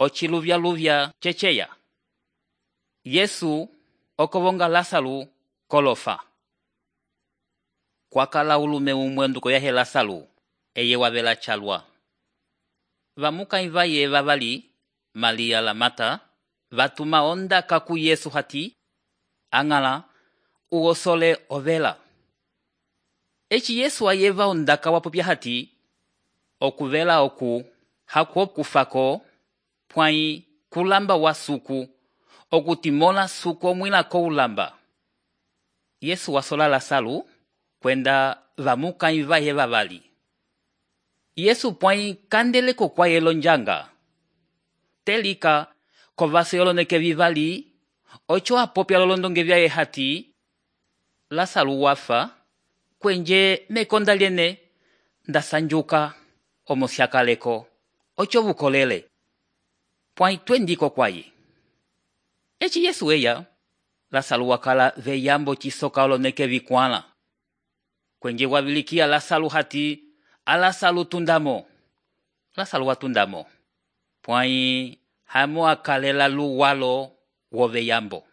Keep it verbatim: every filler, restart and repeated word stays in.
ociluvya-luvya ceceya. Yesu okovonga Lasalu kolofa. Kwakala ulume umwe nduko yahe Lasalu, eye wavela chalwa. Vamuka ivaye vavali, Malia la Mata, vatuma onda kaku Yesu hati, angala uosole ovela. Eci Yesu ayeva ondaka wapopya hati, okuvela oku, haku okufako, pwai kulamba wa suku, okutimola suku omwila ko ulamba. Yesu wasola Lasalu, kwenda vamuka ivaye vavali. Yesu pwai kandeleko kwa yelo njanga. Telika kovase yoloneke vivali, ocho apopya lolondonge vyaye hati, Lasalu wafa, kwenje mekonda liene, ndasanjuka, omosyakaleko, ocho vukolele. Pwai twendiko kwaye. Eci Yesu eya, Lasalu wakala veyambo chisoka oloneke vikwala. Kwenje wabilikia Lasalu hati, Alasalu tundamo. Lasalu watundamo. Pwai hamo akalela luwalo woveyambo.